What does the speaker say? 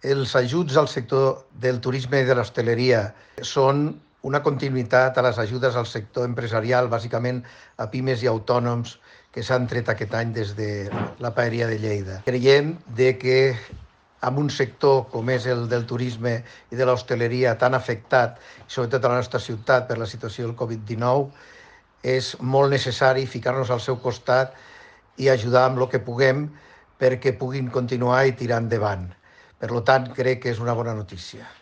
Els ajuts al sector del turisme i de l'hostaleria són una continuïtat a les ajudes al sector empresarial, bàsicament a pimes i autònoms que s'han tret aquest any des de la Paeria de Lleida. Creiem que amb un sector com és el del turisme i de l'hostaleria tan afectat, sobretot a la nostra ciutat per la situació del Covid-19, és molt necessari ficar-nos al seu costat i ajudar amb el que puguem perquè puguin continuar i tirar endavant. Per tant, crec que és una bona notícia.